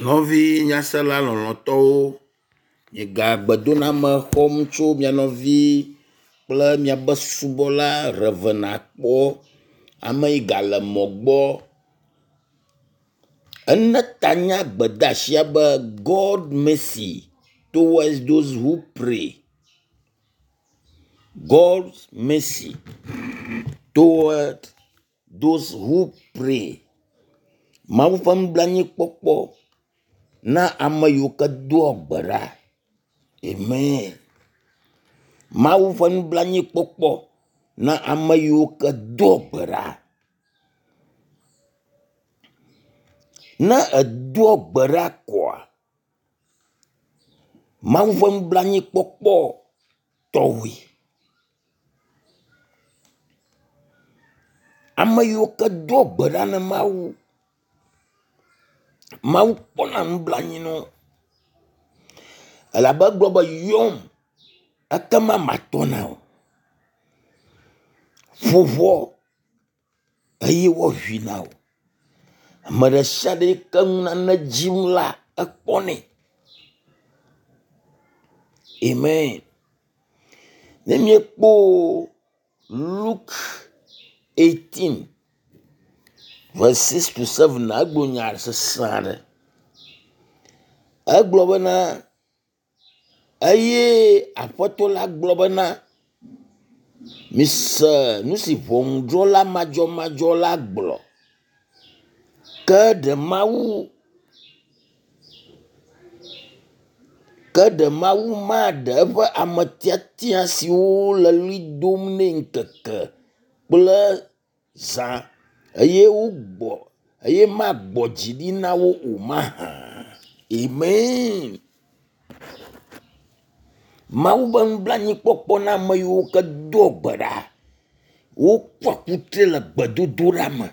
Nɔvi nyasela lɔlɔ̃tɔwo, miega gbedoname xɔm tso mia nɔvi kple miabe subɔla Rev. Akpɔ ame yi gale mɔ gbɔ. Ene ta na gbedeasia be God mercy towards those who pray. God mercy toward those who pray. Mawu ƒe nublanuikpɔkpɔ na ame yiwo ke doa gbe ɖa. Amen. Mawu ƒe nublanuikpɔkpɔ na ame yiwo ke doa gbe ɖa. Ne èdoa gbe ɖa koa, Mawu ƒe nublanuikpɔkpɔ tɔwòe. Ame yiwo ke doa gbe ɖa na Mawu, Mawu kpɔna nublanui na wo elabe egblɔ be yɔm ekema matɔ na wò. Ƒo ʋɔ eye woaŋui na wò. Ame ɖe sia ɖe yi ke nu nane dzim la ekpɔnɛ. Amen. Ne míekpɔ Luke 18 verse 6 to 7 egblɔ nya sesẽ aɖe. Egblɔ bena eye aƒetɔ la gblɔ bena mise nu si ʋɔnudrɔ̃la madzɔmadzɔ la gblɔ. Ke ɖe Mawu ke ɖe Mawu maɖe eƒe ame tiatia siwo le ɣli dom nɛ ŋkeke kple zã eye wogbɔ eye magbɔ dzi ɖi na wo o mahã? Amen. Mawu ƒe nublanuikpɔkpɔ na ame yiwo ke doa gbe ɖa. Wokua kutri le gbedodoɖa me.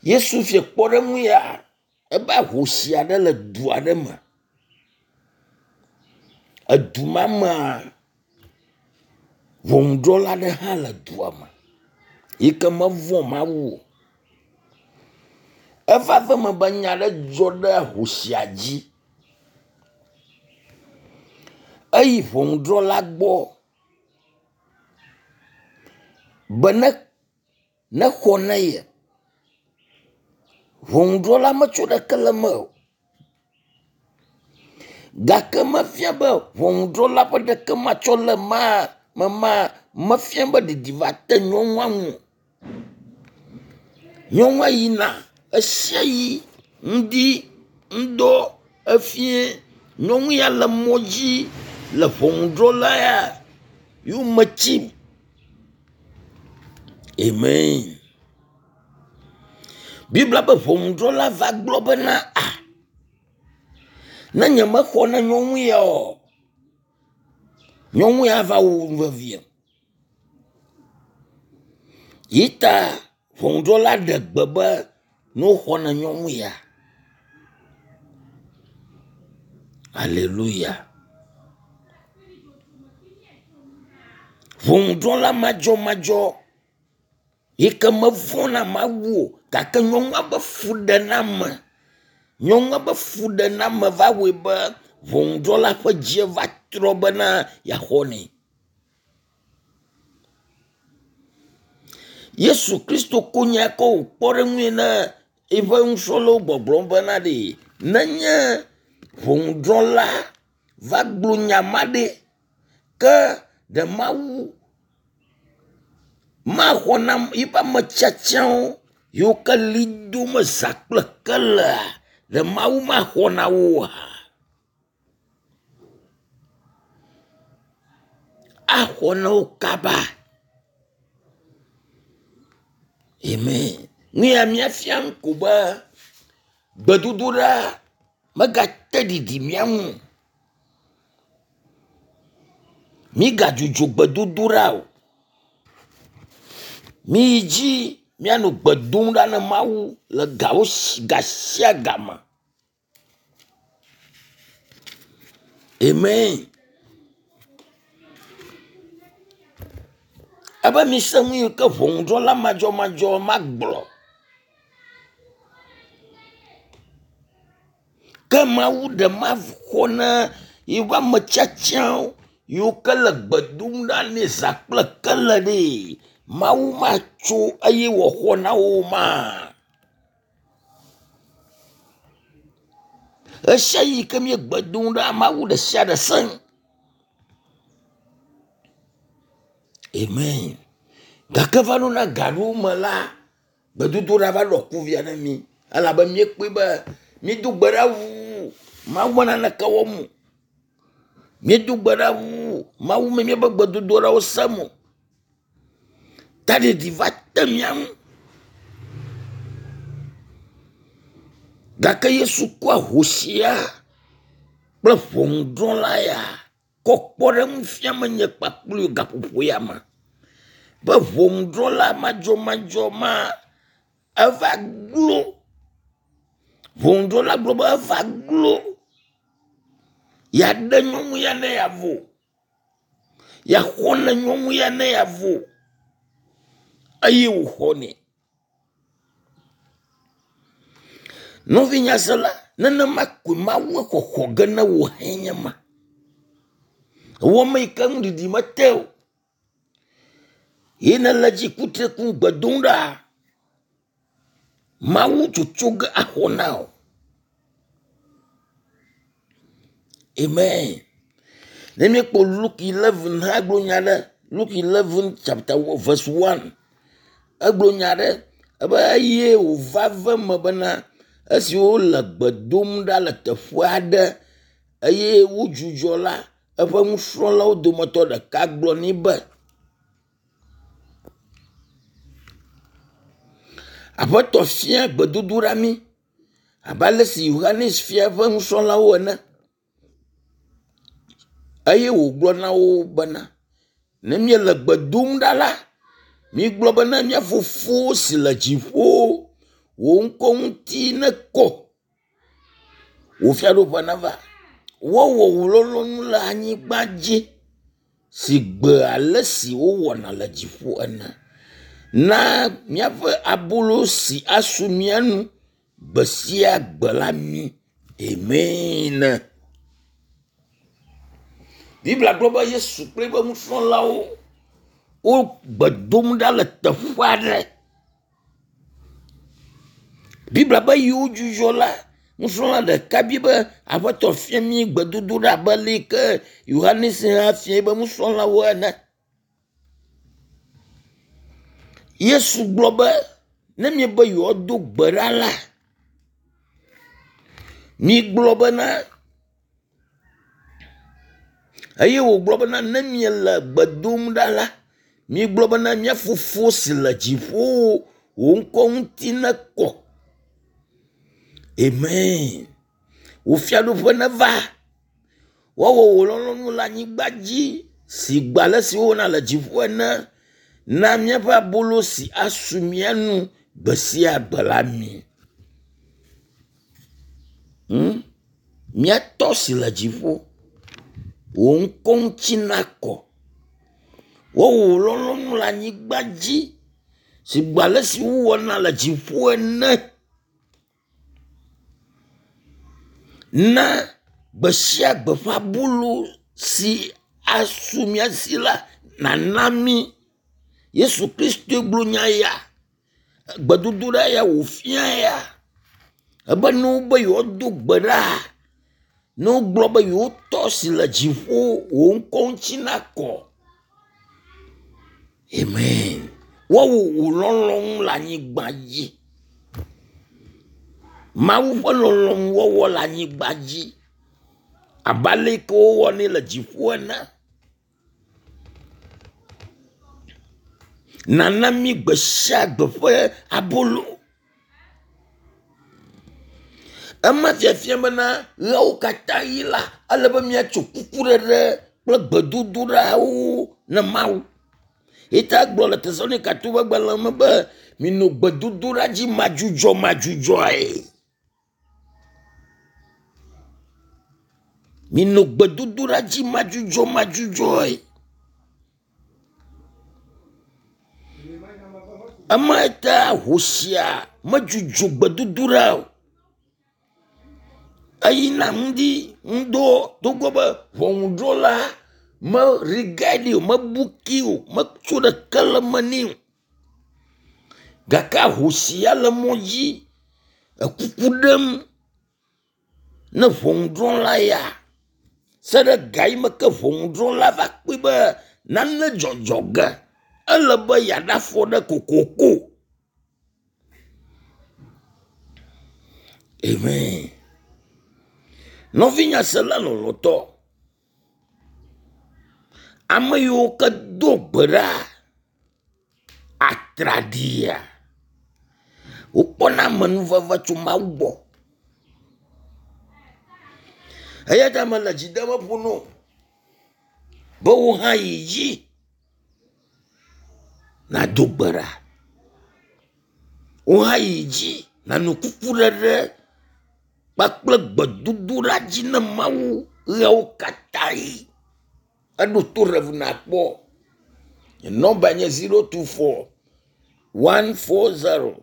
Yesu fia kpɔɖeŋu ya ebe ahosi aɖe le du aɖe me. Edu ma mea, ʋɔnudrɔ̃la aɖe hã le dua me yi ke mevɔ̃ Mawu o. Eva ve eme be nya aɖe dzɔ ɖe ahosia dzi. Eyi ʋɔnudrɔ̃la gbɔ be ne nexɔ na ye. Ʋɔnudrɔ̃la metsɔ ɖeke le eme o. Gake mefia be ʋɔnudrɔ̃la ƒe ɖeke matsɔ le maa me ma mefia be ɖiɖi va te nyɔnua ŋu o. Nyɔnua yina ɣe sia ɣi, ŋdi, ŋdɔ, efie. Nyɔnu ya le mɔ dzi le ʋɔnudrɔ̃la ya yome tsim. Amen. Biblia be ʋɔnudrɔ̃la va gblɔ bena a ne nyemexɔ na nyɔnu ya o, nyɔnu ya va wu nu veviem. Yi ta ʋɔnudrɔ̃la ɖe gbe be ne woxɔ na nyɔnu ya. Aleluya. Ʋɔnudrɔ̃la madzɔmadzɔ yi ke mevɔ̃na Mawu o gake nyɔnua be fuɖename, nyɔnua be fuɖename va wɔe be ʋɔnudrɔ̃la ƒe dzi va trɔ bena yeaxɔ nɛ. Yesu Kristo ko nya kɔ wò kpɔɖeŋui na eƒe nusrɔ̃lawo gbɔgblɔm bena ɖe nenye ʋɔnudrɔ̃la va gblɔ nya ma ɖe, ke ɖe Mawu maxɔ na yiƒe ame tiatiawo yiwo ke ɣli dom zã kple kelea, ɖe Mawu maxɔ na wo oa? Axɔ na wo kaba. Amen. Nu ya míafia ko be gbedodoɖa megate ɖiɖi mía ŋu o. Mígadzudzɔ gbedodoɖa o. Miyi dzi míanɔ gbe dom ɖa na Mawu le gawo ga sia game. Amen. Ebe mise nu yi ke ʋɔnudrɔ̃la madzɔmadzɔ magblɔ. Ke Mawu ɖe maxɔ na yeƒe ame tiatiawo yiwo ke le gbe dom ɖa nɛ zã kple kele ɖee. Mawu matso eye wòaxɔ na wo ma. Ɣesiaɣi yi ke míegbe dom ɖa, Mawu ɖe sia ɖe sẽ. Amen. Gake va ɖo na ga ɖewo me la, gbedodoɖa va ɖɔ kuvia na mí elabe míekpɔe be míedo gbe ɖa ʋuu Mawu me naneke wɔm o. Míedo gbe ɖa ʋuu Mawu me míaƒe gbedodoɖawo sem o. Taɖiɖi va te mía ŋu. Gake Yesu kɔ ahosia kple ʋɔnudrɔ̃la ya kɔ kpɔɖeŋu fia menye kpakple gaƒoƒo ya me be ʋɔnudrɔ̃la madzɔmadzɔ ma eva glo. Ʋɔnudrɔ̃la gblɔ be eva glo yeaɖe nyɔnu ya ne yeavo. Yeaxɔ ne nyɔnu ya ne yeavo eye wòxɔnɛ. Nɔvi nyasela, nenema koe Mawu xɔxɔ ge ne wò hãe nye ma. Ewɔ ame yi ke nuɖiɖi mete o. Ye nele dzi kutre kum gbe dom ɖa. Mawu tsotso ge axɔ na wò. Amen. Ne míekpɔ Luke 11 hã gblɔ nya ɖe, Luke 11 chapter verse 1 egblɔ nya ɖe ebe eye wòva ve me bena esi wole gbe dom ɖa le teƒe aɖe eye wodzudzɔ la, eƒe nusrɔ̃lawo dometɔ ɖeka gblɔ nɛ be, Aƒetɔ fia gbedodoɖa mí abe ale si Yohanes fia eƒe nusrɔ̃lawo ene. Eye wògblɔ na wo bena, ne míele gbe dom ɖa la, migblɔ bena mía Fofo si le dziƒo, wò ŋkɔ ŋuti nekɔ, wò fiaɖuƒe nava, woawɔ wò lɔlɔ̃nu le anyigba dzi si gbe ale si wowɔna le dziƒo ene. Na míaƒe abolo si asu mía nu gbe sia gbe la mí. Amen. Biblia gblɔ be Yesu kple eƒe nusrɔ̃lawo wo gbe dom ɖa le teƒe aɖe. Biblia be yi wodzudzɔ la, nusrɔ̃la ɖeka bi be Aƒetɔ fia mí gbedodoɖa abe ale yi ke Yohanes hã fia eƒe nusrɔ̃lawo ene. Yesu gblɔ be ne miebe yewoado gbe ɖa la, migblɔ bena eye wògblɔ bena ne miele gbe dom ɖa la, migblɔ bena mía Fofo si le dziƒo, wò ŋkɔ ŋuti nekɔ. Amen. Wò fiaɖuƒe neva. Woawɔ wò lɔlɔ̃nu le anyigba dzi si gbe ale si wowɔna le dziƒo ene. Na míaƒe abolo si asu mía nu gbe sia gbe la mí. Hmm? Mía tɔ si le dziƒo, wò ŋkɔ ŋuti nakɔ. Woawɔ wò lɔlɔ̃nu le anyigba dzi si gbe ale si wowɔna le dziƒo ene. Na gbe sia gbe ƒe abolo si asu mía si la nàna mí. Yesu Kristoe gblɔ nya ya. Gbedodoɖa ya wòfia ya. Ebe ne wobe yewoado gbe ɖa, ne wogblɔ be yewotɔ si le dziƒo, wò ŋkɔ ŋuti nakɔ. Amen. Woawɔ wò lɔlɔ̃nu le anyigba dzi. Mawu ƒe lɔlɔ̃nu wɔwɔ le anyigba dzi abe ale yi ke wowɔnɛ le dziƒo ene. Nana mí gbe sia gbe ƒe abolo. Ema fiafia bena ɣeawo katã ɣi la, ele be míatso kukuɖeɖe kple gbedodoɖawo ne Mawu. Ye ta egblɔ le Tesalonikatɔwo ƒe agbalẽ me be minɔ gbedodoɖa dzi madzudzɔmadzudzɔe. Minɔ gbedodoɖa dzi madzudzɔmadzudzɔe. Ema ta hosia medzudzɔ gbedodoɖa o. Eyina ŋdi ŋdɔ togbɔ be ʋɔnudrɔ̃la me regard o, mebuki o, metso ɖeke le eme nɛ o. Gake ahosia le mɔ dzi ekuku ɖem ne ʋɔnudrɔ̃la ya se ɖe ga yi me ke ʋɔnudrɔ̃la va kpɔe be nane dzɔdzɔ ge ele be yeaɖe afɔ ɖe kokoko. Amen. Nɔvinyasela lɔlɔ̃tɔ, ame yiwo ke do gbe ɖa atraɖiia, wokpɔna amenuveve tso Mawu gbɔ. Eya ta mele dzi dem eƒo na wò be wò hã yi dzi nàdo gbe ɖa. Wò hã yi dzi nànɔ kukuɖeɖe kpakple gbedodoɖa dzi ne Mawu ɣeawo katã ɣi. Eɖo to ɖe ŋu nàkpɔ. Nye nɔmba nye 024 140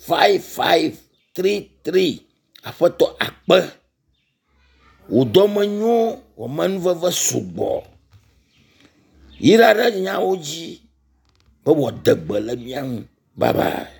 5533. Aƒetɔ akpe. Wò dɔme nyo, wò amenuveve sugbɔ. Yra ɖe nyawo dzi be wòade gbe le mía ŋu. Bye bye.